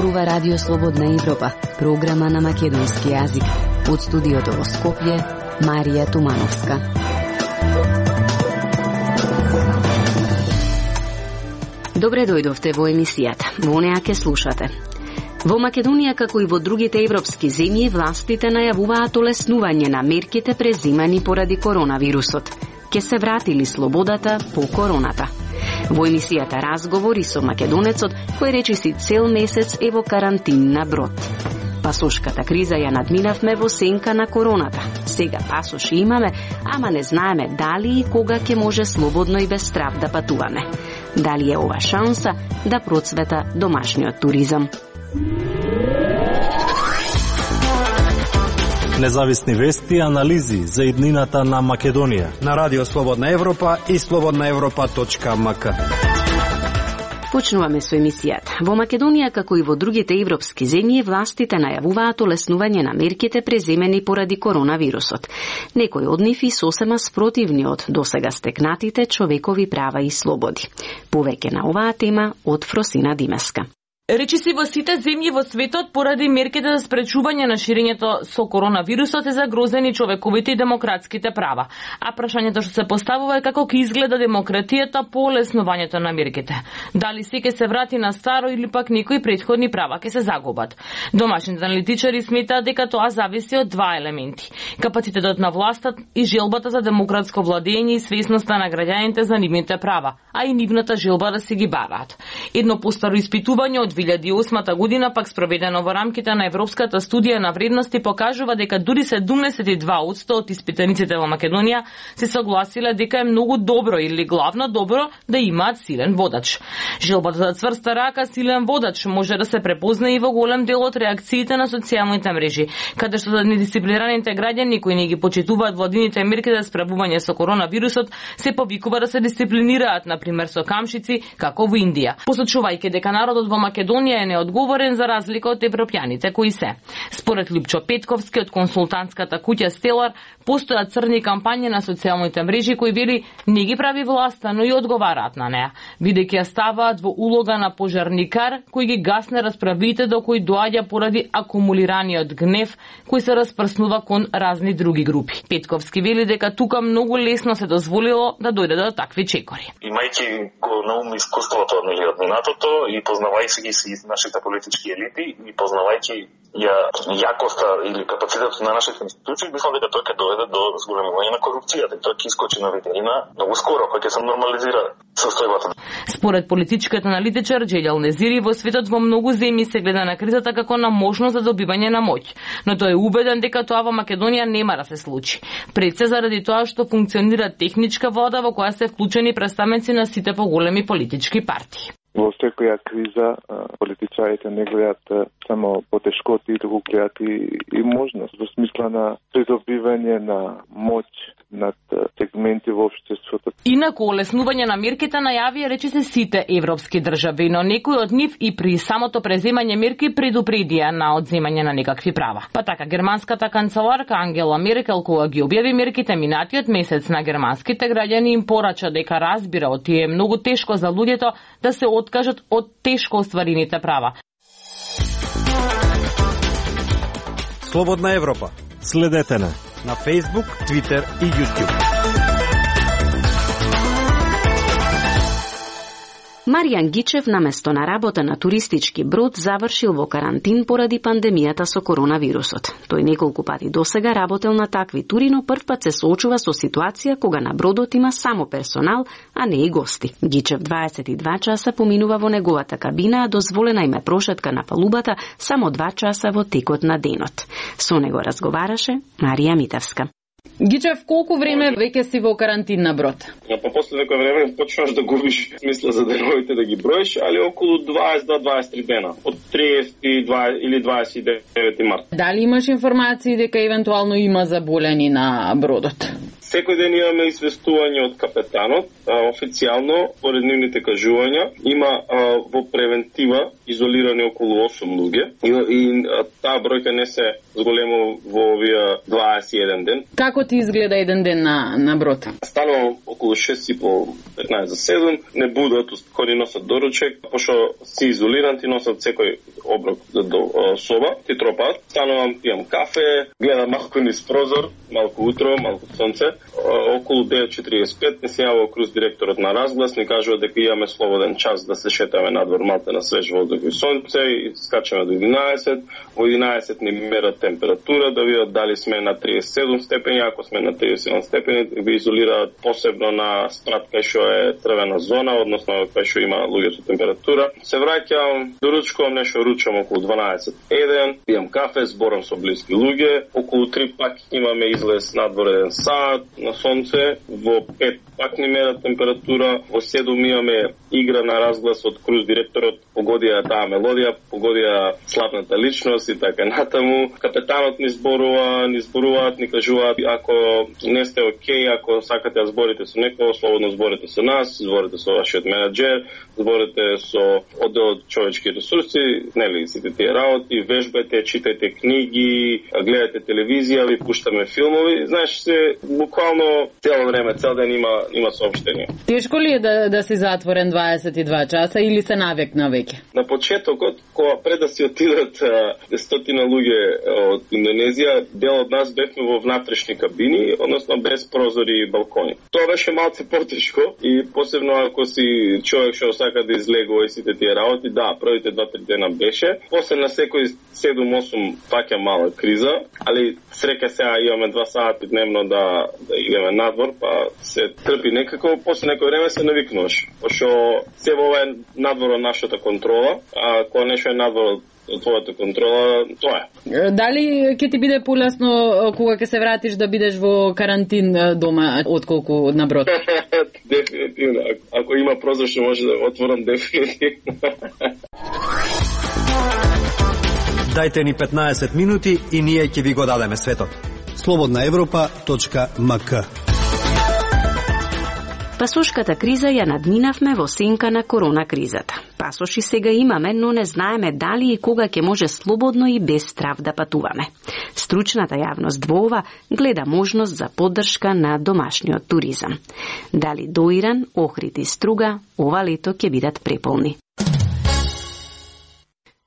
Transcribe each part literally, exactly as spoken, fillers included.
зборува Радио Слободна Европа, програма на македонски јазик. Од студиото во Скопје, Марија Тумановска. Добре дојдовте во емисијата. Во неа ке слушате. Во Македонија, како и во другите европски земји, властите најавуваат олеснување на мерките презимани поради коронавирусот. Ке се вратили слободата по короната. Во емисијата разговори со македонецот кој речиси цел месец е во карантин на брод. Пасошката криза ја надминавме во сенка на короната. Сега пасоши имаме, ама не знаеме дали и кога ќе може слободно и без страв да патуваме. Дали е ова шанса да процвета домашниот туризам? Независни вести и анализи за иднината на Македонија на Радио Слободна Европа и слободна европа точка м к. Почнуваме со емисијата. Во Македонија, како и во другите европски земји, властите најавуваат олеснување на мерките преземени поради коронавирусот. Некои од нив и сосема спротивни од досега стекнатите човекови права и слободи. Повеќе на оваа тема од Фросина Димеска. Речиси во сите земји во светот поради мерките за спречување на ширењето со коронавирусот е загрозени човековите и демократските права. А прашањето што се поставува е како ќе изгледа демократијата по олеснувањето на мерките. Дали се ќе се врати на старо или пак некои претходни права ќе се загубат. Домашните аналитичари сметаат дека тоа зависи од два елементи: капацитетот на властта и желбата за демократско владење и свесноста на граѓаните за нивните права, а и нивната желба да се ги бараат. Едно постаро испитување од две илјади и осма година, пак спроведено во рамките на Европската студија на вредности, покажува дека дури седумдесет и два одсто од испитаниците во Македонија се согласиле дека е многу добро или главно добро да имаат силен водач. Желбата за цврста рака, силен водач може да се препознае и во голем дел од реакциите на социјалните мрежи, каде што за недисциплинираните граѓани кои не ги почитуваат владините мерки за справување со коронавирусот, се повикува да се дисциплинираат, на пример со камшици, како во Индија, посочувајќи дека народот во Македонија е неодговорен за разлика од европјаните кои се. Според Лупчо Петковски од консултантската куќа Стелар, постојат црни кампањи на социјалните мрежи кои вели не ги прави власта, но и одговараат на неа, бидејќи ја ставаат во улога на пожарникар кој ги гасне расправите до кои доаѓа поради акумулираниот гнев кој се распрснува кон разни други групи. Петковски вели дека тука многу лесно се дозволило да дојде до такви чекори. Имајќи го на ум искуството од минатото и познавајќи ги си нашите политички елити и познавајќи ја јакоста или капацитетот на нашите институции, мислам дека тоа ќе доведе до зголемување на корупцијата и тоа ќе искочи на виделина многу скоро, кој ќе се нормализира состојбата. Според политичкиот аналитичар Џелјал Незири, во светот во многу земји се гледа на кризата како на можност за добивање на моќ, но тој е убеден дека тоа во Македонија нема да се случи. Пред се заради тоа што функционира техничка вода во која се вклучени представници на сите поголеми политички партии. Во секоја криза политичарите не гледат само потешкоти, туку гледат и, и можност во смисла на придобивање на моќ над сегменти во општеството. Инаку олеснување на мерките најавија речиси сите европски држави, но некои од нив и при самото преземање мерки предупредија на одземање на некакви права. Па така, германската канцеларка Ангела Меркел, кога ги објави мерките минатиот месец на германските граѓани, им порача дека разбира од тие е многу тешко за луѓето да се откажат од тешко остварените права. Слободна Европа. Следете на на Facebook, Twitter и YouTube. Маријан Гичев наместо на работа на туристички брод завршил во карантин поради пандемијата со коронавирусот. Тој неколку пати досега работел на такви тури, но првпат се соочува со ситуација кога на бродот има само персонал, а не и гости. Гичев дваесет и два часа поминува во неговата кабина, а дозволена им е прошетка на палубата само два часа во текот на денот. Со него разговараше Марија Митевска. Гичев, колку време веќе си во карантин на брод? Ja, па после некој време почнуваш да губиш смисла за деновите да ги броиш, али околу дваесет до дваесет и три дена, од триесет или дваесет и девети март. Дали имаш информации дека евентуално има заболени на бродот? Секој ден имаме известување од капетанот, а, официјално, поред нивните кажувања, има а, во превентива изолирани околу осум луѓе и, и а, таа бројка не се зголемо во овие дваесет и еден ден. Како ти изгледа еден ден на, на брод? Станувам околу шест и пол, петнаесет за седум, не будат, кои носат доручек, пошто си изолиран, ти носат секој оброк до, до соба, ти тропаат. Станувам, пијам кафе, гледам малку низ прозор, малку утро, малку сонце. Околу девет четиридесет и пет не се јавува круз директорот на Разглас, ни кажува дека имаме слободен час да се шетаме надвор малте на свеж воздух и сонце и скачаме до единаесет. Во единаесет ни мерат температура, да видат дали сме на триесет и седум степени, ако сме на триесет и седум степени, ви изолираат посебно на спрат кај што е црвена зона, односно кај што има луѓе со температура. Се враќам, доручкувам нешто, ручам околу дванаесет еден, пијам кафе, зборам со блиски луѓе, околу три пак имаме излез надвор еден саат на сонце, во пет пак ни мерат температура, во седум имаме игра на Разглас од круз директорот, погодија таа мелодија, погодија славната личност и така натаму. Капетанот ни зборува, ни зборуваат, ни кажуваат, ако не сте окей, ако сакате да зборите со некој, слободно зборите со нас, зборите со вашиот менаџер, зборите со одделот човечки ресурси, нели, сите тие работи, вежбајте, читајте книги, гледате телевизија, ви пуштаме филмови. Знаеш, се буквално цело време, цел ден има има соопштение. Тешко ли е да да си затворен дваесет и два часа или се навикна веќе? На почетокот, кога пред да си отидат стотина луѓе од Индонезија, дел од нас бевме во внатрешни кабини, односно без прозори и балкони. Тоа беше малце потешко и посебно ако си човек што сака да излегува и сите тие работи, да, првите два-три дена беше. После на секој седум-осум паќа мала криза, али среќа сега имаме два сати дневно да да идеме надвор, па се трпи некако, после некој време се навикнуваш. Пошто се во ова е надвор од нашата контрола, а кога нешто е надвор од твојата контрола, тоа е. Дали ќе ти биде полесно кога ќе се вратиш да бидеш во карантин дома отколку на брод? Дефинитивно. Ако има прозор што може да отворам, дефинитивно. Дајте ни петнаесет минути и ние ќе ви го дадеме светот. слободна европа точка ем ка. Пасошката криза ја надминавме во сенка на корона кризата. Пасоши сега имаме, но не знаеме дали и кога ќе може слободно и без страв да патуваме. Стручната јавност во ова гледа можност за поддршка на домашниот туризам. Дали до Иран, Охрид и Струга ова лето ќе бидат преполни.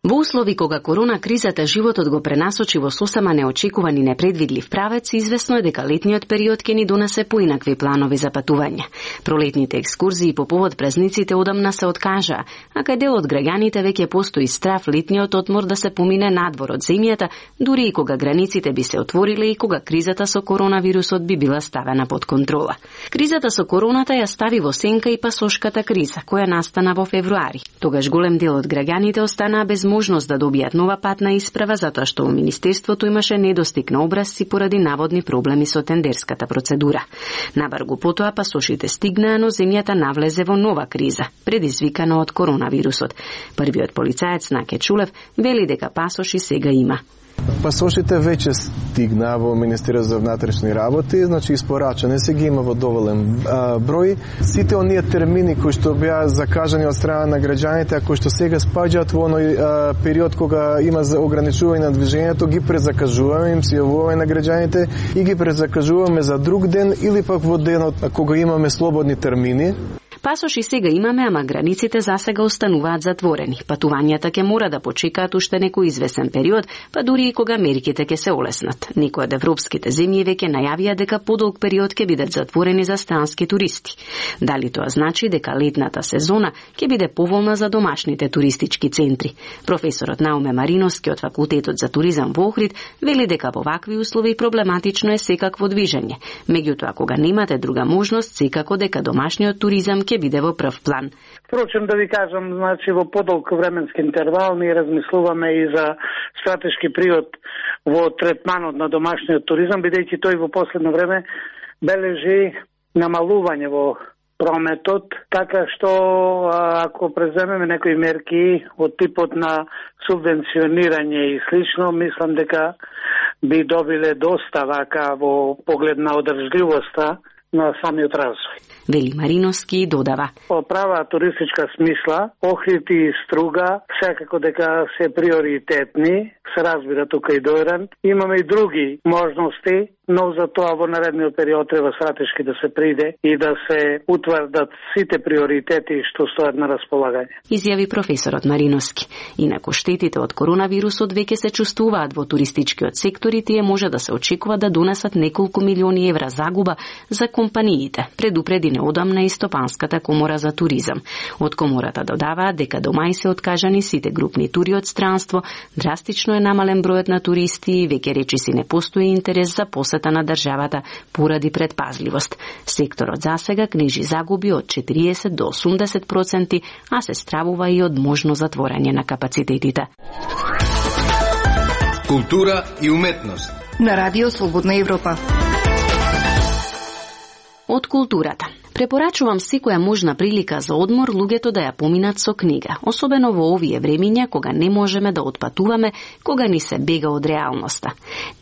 Во услови кога корона кризата животот го пренасочи во сосема неочекуван и непредвидлив правец, известно е дека летниот период ќе ни донесе поинакви планови за патување. Пролетните екскурзии по повод празниците одамна се откажаа, а кај дел од граѓаните веќе постои страв летниот одмор да се помине надвор од земјата, дури и кога границите би се отвориле и кога кризата со коронавирусот би била ставена под контрола. Кризата со короната ја стави во сенка и пасошката криза, која настана во февруари. Тогаш голем дел од граѓаните останаа без можност да добијат нова патна исправа затоа што во Министерството имаше недостиг на образци поради наводни проблеми со тендерската процедура. Набаргу потоа пасошите стигнаа, но земјата навлезе во нова криза, предизвикана од коронавирусот. Првиот полицаец Наке Чулев вели дека пасоши сега има. Пасошите веќе стигнаа во Министерството за внатрешни работи, значи испорачане се ги има во доволен а, број. Сите оние термини кои што беа закажани од страна на граѓаните, а кои што сега спаѓаат во оној а, период кога има за ограничување на движењето, ги презакажуваме, им се јавуваме на граѓаните и ги презакажуваме за друг ден или пак во денот кога имаме слободни термини. Пасоши сега имаме, ама границите засега остануваат затворени. Патувањата ќе мора да почекаат уште некој извесен период, па дури и кога мерките ќе се олеснат. Некои од европските земји веќе најавија дека подолг период ќе бидат затворени за странски туристи. Дали тоа значи дека летната сезона ќе биде поволна за домашните туристички центри? Професорот Науме Мариновски од Факултетот за туризам во Охрид вели дека во вакви услови проблематично е секакво движење. Меѓутоа, кога немате друга можност, секако дека домашниот туризам ќе биде во прв план. Впрочем, да ви кажам, значи во подолг временски интервал ние размислуваме и за стратешки приод во третманот на домашниот туризам, бидејќи тој во последно време бележи намалување во прометот, така што ако преземеме некои мерки од типот на субвенционирање и слично, мислам дека би добиле доста вака во поглед на одржливоста на самиот развој. Вели Мариновски додава. По права туристичка смисла, Охрид и Струга секако дека се приоритетни, се разбира тука и Дојран. Имаме и други можности, но за тоа во наредниот период треба стратешки да се приде и да се утврдат сите приоритети што стојат на располагање. Изјави професорот Мариновски. Инаку штетите од коронавирусот веќе се чувствуваат во туристичкиот сектор и тие може да се очекува да донесат неколку милиони евра загуба за компаниите, предупреди неодамна и Стопанската комора за туризам. Од комората додаваат дека до мај се откажани сите групни тури од странство, драстично е намален бројот на туристи и веќе речиси не постои интерес за посета на државата поради предпазливост. Секторот засега книжи загуби од четириесет до осумдесет проценти, а се стравува и од можно затворање на капацитетите. Култура и уметност на Радио Слободна Европа. Од културата. Препорачувам секоја можна прилика за одмор луѓето да ја поминат со книга, особено во овие времиња кога не можеме да отпатуваме, кога ни се бега од реалноста.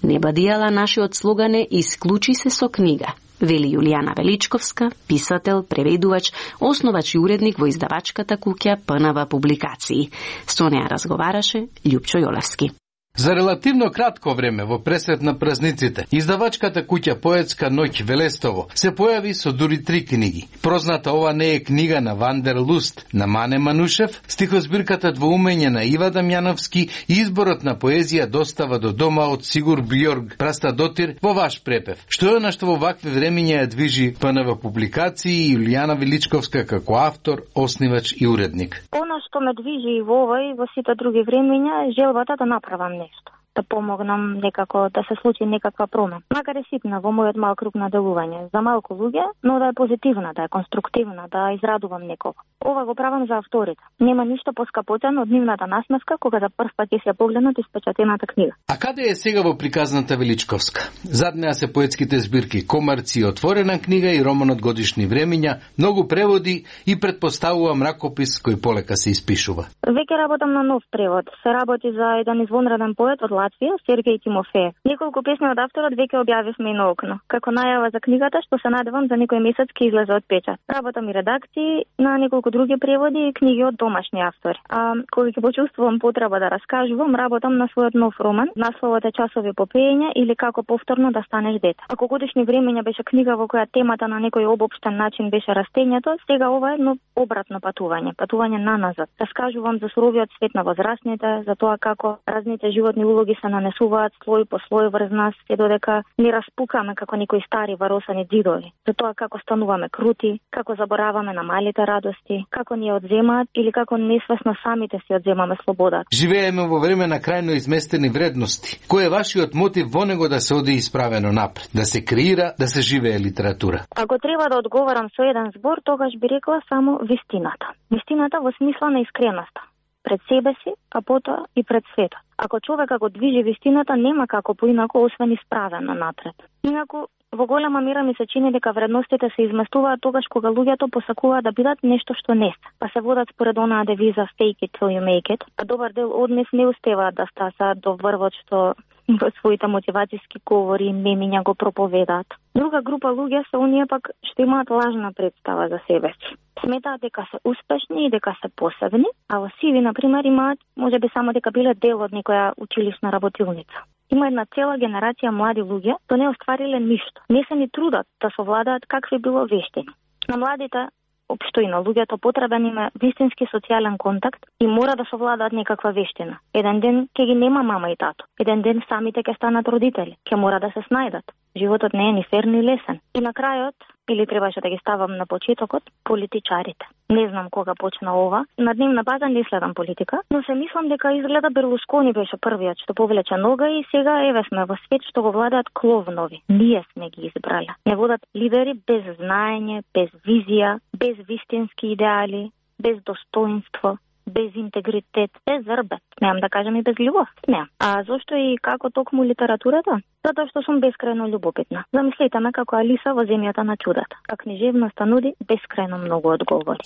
Не бадијала нашиот слоган е "Исклучи се со книга", вели Јулијана Величковска, писател, преведувач, основач и уредник во издавачката куќа П Н В Публикации. Со неа разговараше Љупчо Јолевски. За релативно кратко време во пресрет на празниците, издавачката куќа Поетска ноќ Велестово се појави со дури три книги. Прозната ова не е книга на Вандер Луст на Мане Манушев, стихозбирката Двоумење на Ива Дамјановски и изборот на поезија Достава до дома од Сигур Бјорг Прастадотир во ваш препев. Што е на што во вакви времиња ја движи П Н В Публикации и Јулијана Величковска како автор, основач и уредник. Она што ме движи и во ова и во сите други времиња е желбата да направам нешто, да помогнам некако да се случи некаква промена. Макар е ситна во мојот мал круг на делување, за малку луѓе, но да е позитивна, да е конструктивна, да израдувам некого. Ова го правам за авторите. Нема ништо поскапотено од нивната насмевка кога за прв пат ќе се погледнат испечатената книга. А каде е сега во приказната Величковска? Зад неа се поетските збирки Комарци, Отворена книга и романот Годишни времиња, многу преводи и предпоставувам ракопис кој полека се испишува. Веќе работам на нов превод. Се работи за еден извонреден поет од Латвија, Сергеј Тимофеев. Неколку песни од авторот веќе објавивме и на окно. Како најава за книгата што се надевам за некој месец ќе излезе од печат. Работам и редакции на неколку други преводи и книги од домашни автори. А кога ќе почувствувам потреба да раскажувам, работам на својот нов роман. Насловот е Часови по пеење или Како повторно да станеш дете. Ако Годишни времиња беше книга во која темата на некој обобштен начин беше растењето, сега ова е едно обратно патување, патување наназад. Раскажувам за суровиот свет на возрастните, за тоа како разните животни улоги се нанесуваат слој по слој врз нас, се додека ни распукаме како некои стари варосани ѕидови. За тоа како стануваме крути, како забораваме на малите радости, како ни ја одземаат или како несвесно самите си одземаме слободата. Живееме во време на крајно изместени вредности. Кој е вашиот мотив во него да се оди исправено напред, да се креира, да се живее литература? Ако треба да одговарам со еден збор, тогаш би рекла само вистината. Вистината во смисла на искреноста. Пред себе си, а потоа и пред светот. Ако човека го движи вистината, нема како поинако освен исправено напред. Инаку, во голема мера ми се чини дека вредностите се изместуваат тогаш кога луѓето посакуваат да бидат нешто што не се, па се водат според онаа девиза fake it till you make it, а добар дел од нив не успеваат да стасаат до врвот што во своите мотивацијски говори и мемиња го проповедаат. Друга група луѓе се оние пак што имаат лажна представа за себе си. Сметаат дека се успешни и дека се посебни, а во сиви, например, имаат можеби само дека биле дел од некоја училишна работилница. Има една цела генерација млади луѓе што не оствариле ништо. Не се ни трудат да совладаат какви било вештини. На младите општо и на луѓето потребен им е вистински социјален контакт и мора да совладаат некаква вештина. Еден ден ќе ги нема мама и тато. Еден ден самите ќе станат родители. Ќе мора да се снајдат. Животот не е ни фер ни лесен. И на крајот, или требаше да ги ставам на почетокот, политичарите. Не знам кога почна ова. На дневна база не следам политика, но се мислам дека изгледа Берлускони беше првиот што повлече нога и сега еве сме во свет што го владаат кловнови. Ние сме ги избрале. Не водат лидери без знаење, без визија, без вистински идеали, без достоинство, без интегритет, без зрбет. Немам да кажам и без љубов. Немам. А зошто и како токму литературата? Затоа што сум бескрајно љубопитна. Замислете ме како Алиса во земјата на чудата. А книжевноста нуди бескрајно многу одговори.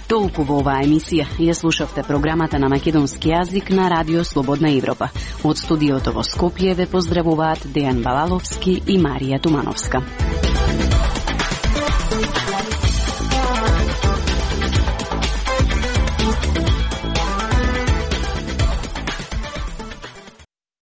Толку во оваа емисија. Ја слушавте програмата на македонски јазик на Радио Слободна Европа. Од студиото во Скопје ве поздравуваат Дејан Балаловски и Марија Тумановска.